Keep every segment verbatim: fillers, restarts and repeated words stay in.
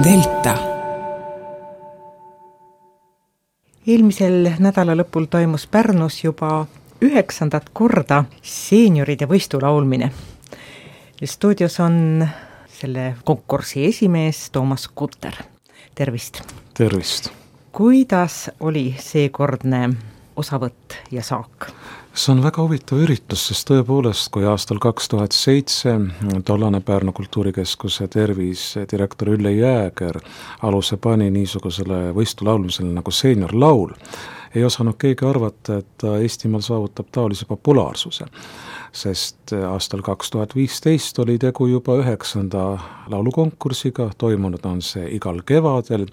Delta. Eelmisel nädala lõpul toimus Pärnus juba üheksandat korda seenioride võistu laulmine. Stuudios on selle konkursi esimees Toomas Kutter. Tervist! Tervist! Kuidas oli seekordne osavõtt ja saak? See on väga huvitav üritus, sest tõepoolest, kui aastal kaks tuhat seitse tollane Pärnu kultuurikeskuse tervisdirektor Ülle Jääger aluse pani niisugusele võistu laulmisele nagu seeniorlaul, ei osanud keegi arvata, et Eestimaal saavutab taolise populaarsuse, sest aastal kaks tuhat viisteist oli tegu juba üheksanda laulukonkursiga, toimunud on see igal kevadel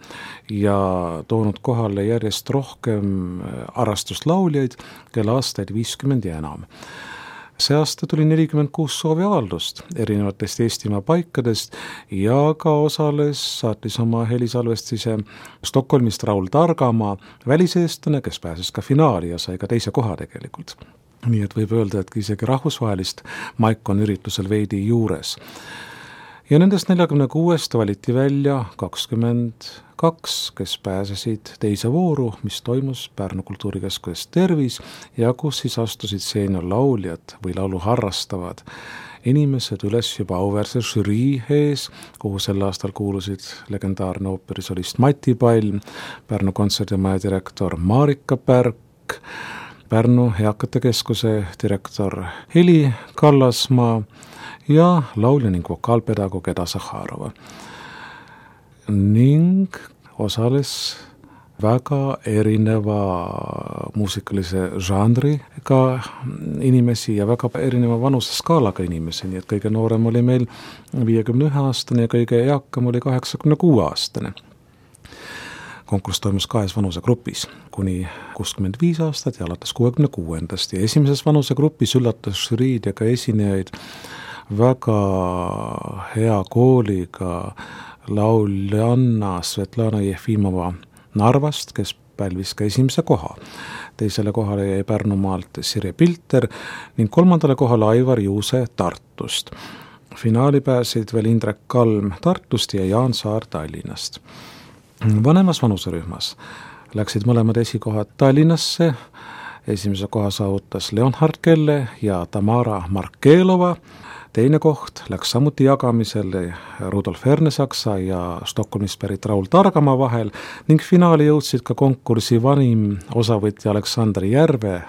ja toonud kohale järjest rohkem arrastuslauljaid, kelle aastaid viiskümmend ja enam. See aasta tuli nelikümmend kuus sooviavaldust erinevatest Eestimaa paikadest ja ka osales, saatis oma helisalvestise Stockholmist Raul Targamaa, väliseestlane, kes pääses ka finaali ja sai ka teise koha tegelikult. Nii et võib öelda, et isegi rahvusvahelist maik on üritusel veidi juures. Ja nendest neljakümne kuuest valiti välja kakskümmend kaks, kes pääsesid teise vooru, mis toimus Pärnu kultuurikeskuses Tervis ja kus siis astusid seeniorlauljad või laulu harrastavad inimesed üles juba auväärse žürii ees, kuhu sel aastal kuulusid legendaarne ooperisolist Mati Palm, Pärnu kontserdimaja direktor Marika Pärk, Pärnu Eakate Keskuse direktor Heli Kallasmaa ja laulja ning vokaalpedagoog Eda Zahharova. Ning osales väga erineva muusikalise žanriga inimesi ja väga erineva vanuseskaalaga inimesi, nii et kõige noorem oli meil viiekümne ühe aastane ja kõige eakam oli kaheksakümne kuue aastane. Konkurss toimus kahes vanusegrupis, kuni kuuskümmend viis aastat ja alates kuuekümne kuuendast ja esimeses vanusegrupis üllatas žüriid ja ka esinejaid väga hea kooliga lauljanna Svetlana Jefimova Narvast, kes pälvis ka esimese koha. Teisele kohale jäi Pärnumaalt Sirje Pilter ning kolmandale kohale Aivar Juuse Tartust. Finaali pääsid veel Indrek Kalm Tartust ja Jaan Saar Tallinnast. Vanemas vanuserühmas läksid mõlemad esikohad Tallinnasse. Esimese koha saavutas Leonhard Kelle ja Tamara Markelova. Teine koht läks samuti jagamisele Rudolf Ernesaksa ja Stockholmist pärit Raul Targamaa vahel ning finaali jõudsid ka konkursi vanim osavõtja Aleksander Järve,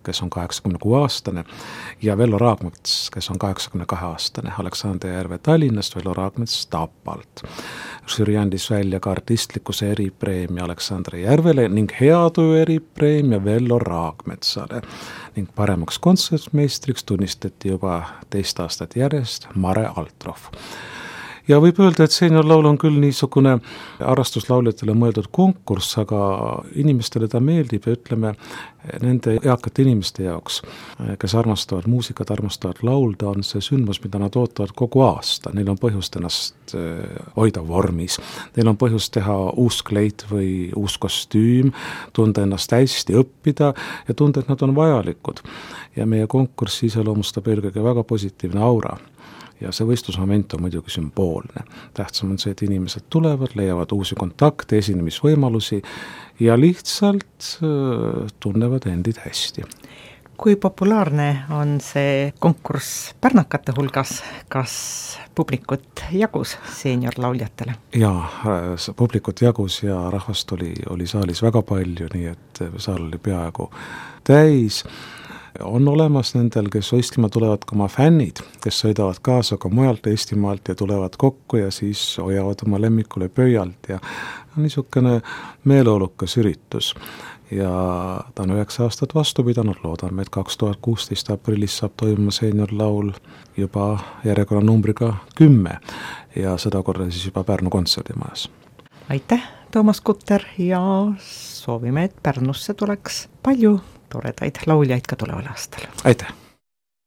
kes on kaheksakümne kuue aastane, ja Vello Raagmets, kes on kaheksakümne kahe aastane. Aleksander Järve Tallinnast, Vello Raagmets Tapalt. Žüri andis välja ka artistlikkuse eripreemia Aleksander Järvele ning heatöö eripreemia Vello Raagmetsale. Ning paremaks kontsertmeistriks tunnistati juba teist aastat järjest Mare Altroff. Ja võib öelda, et seeniorlaul on küll niisugune arrastuslauljatele mõeldud konkurss, aga inimestele ta meeldib ja ütleme nende eakate inimeste jaoks, kes armastavad muusikat, armastavad laulda, on see sündmus, mida nad ootavad kogu aasta. Neil on põhjust ennast hoida vormis. Neil on põhjust teha uus kleit või uus kostüüm, tunda ennast hästi, õppida ja tunda, et nad on vajalikud. Ja meie konkurss iseloomustab eelkõige väga positiivne aura. Ja see võistlusmoment on muidugi sümboolne. Tähtsam on see, et inimesed tulevad, leiavad uusi kontakte, esinemisvõimalusi ja lihtsalt tunnevad endid hästi. Kui populaarne on see konkurss pärnakate hulgas? Kas publikut jagus seeniorlauljatele? Jaa, publikut jagus ja rahvast oli, oli saalis väga palju, nii et saal oli peaaegu täis. On olemas nendel, kes võistlema tulevad ka oma fännid, kes sõidavad kaasa ka mujalt Eestimaalt ja tulevad kokku ja siis hoiavad oma lemmikule pöialt ja niisugune meeleolukas üritus. Ja ta on üheksa aastat vastu pidanud, loodame, et kaks tuhat kuusteist aprillis saab toimuma seeniorlaul juba järjekorra numbriga kümme ja seda korda siis juba Pärnu kontserdimajas. Aitäh, Toomas Kutter, ja soovime, et Pärnusse tuleks palju toredaid lauljaid ka tuleval aastal. Aitäh!